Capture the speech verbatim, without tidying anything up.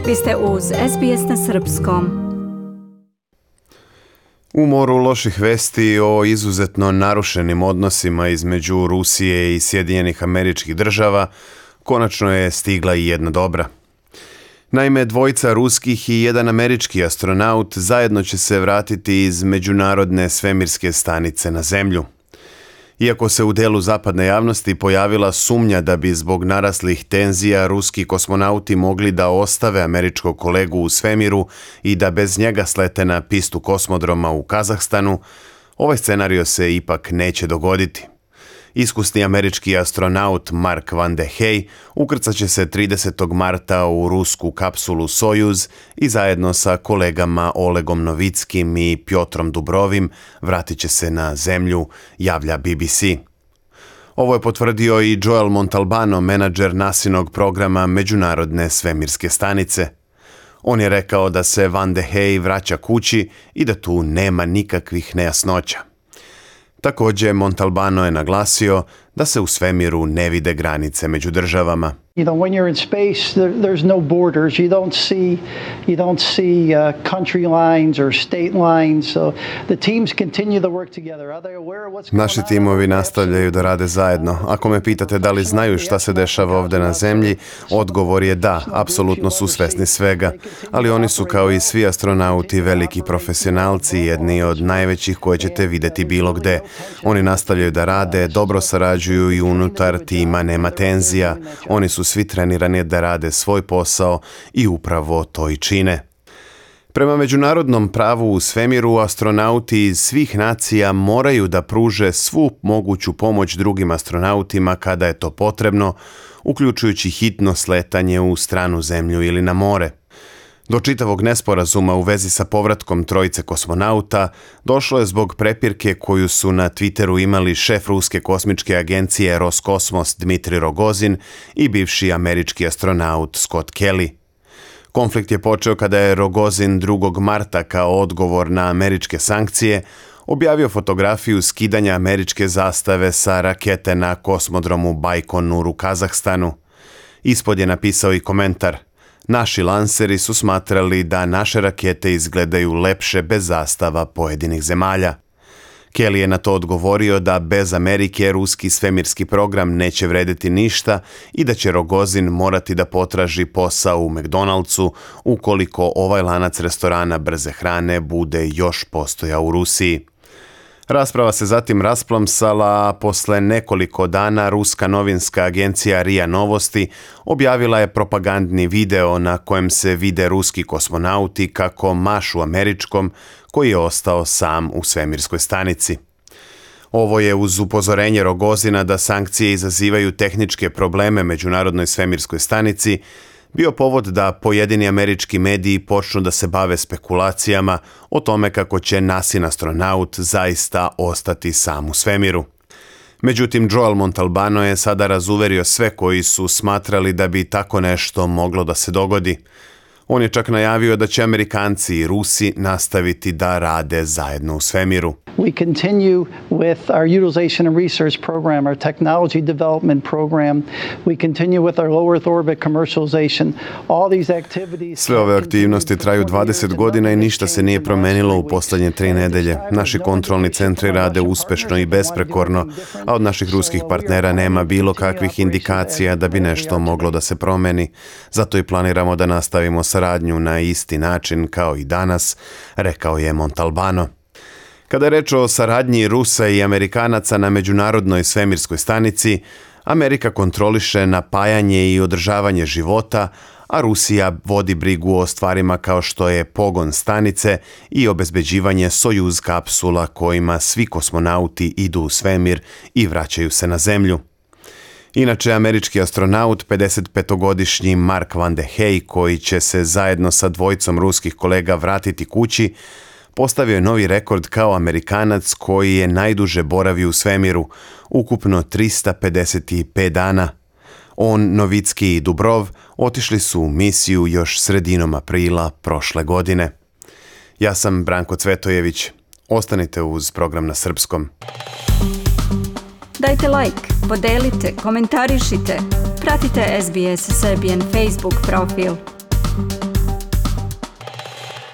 Vi ste uz S B S na srpskom. U moru loših vesti o izuzetno narušenim odnosima između Rusije i Sjedinjenih Američkih Država konačno je stigla i jedna dobra. Naime, dvojica ruskih i jedan američki astronaut zajedno će se vratiti iz Međunarodne svemirske stanice na Zemlju. Iako se u delu zapadne javnosti pojavila sumnja da bi zbog naraslih tenzija ruski kosmonauti mogli da ostave američkog kolegu u svemiru i da bez njega slete na pistu kosmodroma u Kazahstanu, ovaj scenario se ipak neće dogoditi. Iskusni američki astronaut Mark Vande Hey ukrcat će se tridesetog marta u rusku kapsulu Sojuz i zajedno sa kolegama Olegom Novickim i Pjotrom Dubrovim vratit će se na Zemlju, javlja B B C. Ovo je potvrdio i Joel Montalbano, menadžer nasinog programa Međunarodne svemirske stanice. On je rekao da se Vande Hey vraća kući i da tu nema nikakvih nejasnoća. Također, Montalbano je naglasio da se u svemiru ne vide granice među državama. You know, when you're in space, there, there's no borders. You don't see, you don't see uh, country lines or state lines. So the teams continue to work together. Are they aware of what's going on? Naši timovi nastavljaju da rade zajedno. Ako me pitate da li znaju šta se dešava ovdje na Zemlji, odgovor je da, apsolutno su svesni svega. Ali oni su kao i svi astronauti veliki profesionalci, jedni od najvećih koje ćete vidjeti bilo gde. Oni nastavljaju da rade, dobro sarađuju i unutar tima nema tenzija. Oni su svi trenirani da rade svoj posao i upravo to i čine. Prema međunarodnom pravu u svemiru, astronauti iz svih nacija moraju da pruže svu moguću pomoć drugim astronautima kada je to potrebno, uključujući hitno sletanje u stranu Zemlju ili na more. Do čitavog nesporazuma u vezi sa povratkom trojice kosmonauta došlo je zbog prepirke koju su na Twitteru imali šef ruske kosmičke agencije Roskosmos Dmitri Rogozin i bivši američki astronaut Scott Kelly. Konflikt je počeo kada je Rogozin drugog marta kao odgovor na američke sankcije objavio fotografiju skidanja američke zastave sa rakete na kosmodromu Bajkonur u Kazahstanu. Ispod je napisao i komentar: "Naši lanseri su smatrali da naše rakete izgledaju lepše bez zastava pojedinih zemalja." Kelly je na to odgovorio da bez Amerike ruski svemirski program neće vrediti ništa i da će Rogozin morati da potraži posao u McDonald'su ukoliko ovaj lanac restorana brze hrane bude još postojao u Rusiji. Rasprava se zatim rasplamsala, a posle nekoliko dana ruska novinska agencija R I A Novosti objavila je propagandni video na kojem se vide ruski kosmonauti kako mašu američkom koji je ostao sam u svemirskoj stanici. Ovo je uz upozorenje Rogozina da sankcije izazivaju tehničke probleme Međunarodnoj svemirskoj stanici bio povod da pojedini američki mediji počnu da se bave spekulacijama o tome kako će nasin astronaut zaista ostati sam u svemiru. Međutim, Joel Montalbano je sada razuverio sve koji su smatrali da bi tako nešto moglo da se dogodi. On je čak najavio da će Amerikanci i Rusi nastaviti da rade zajedno u svemiru. We continue with our utilization and research program, our technology development program. We continue with our low Earth orbit commercialization. All these activities. Sve ove aktivnosti traju dvadeset godina i ništa se nije promenilo u posljednje tri nedelje. Naši kontrolni centri rade uspešno i besprekorno, a od naših ruskih partnera nema bilo kakvih indikacija da bi nešto moglo da se promeni. Zato i planiramo da nastavimo saradnju na isti način kao i danas, rekao je Montalbano. Kada je reč o saradnji Rusa i Amerikanaca na Međunarodnoj svemirskoj stanici, Amerika kontroliše napajanje i održavanje života, a Rusija vodi brigu o stvarima kao što je pogon stanice i obezbeđivanje Sojuz kapsula kojima svi kosmonauti idu u svemir i vraćaju se na Zemlju. Inače, američki astronaut, pedesetpetogodišnji Mark Vande Hey, koji će se zajedno sa dvojicom ruskih kolega vratiti kući, postavio je novi rekord kao Amerikanac koji je najduže boravio u svemiru, ukupno trista pedeset pet dana. On, Novicki i Dubrov otišli su u misiju još sredinom aprila prošle godine. Ja sam Branko Cvetojević. Ostanite uz program na srpskom. Dajte like, podelite, komentarišite. Pratite S B S Serbian Facebook profil.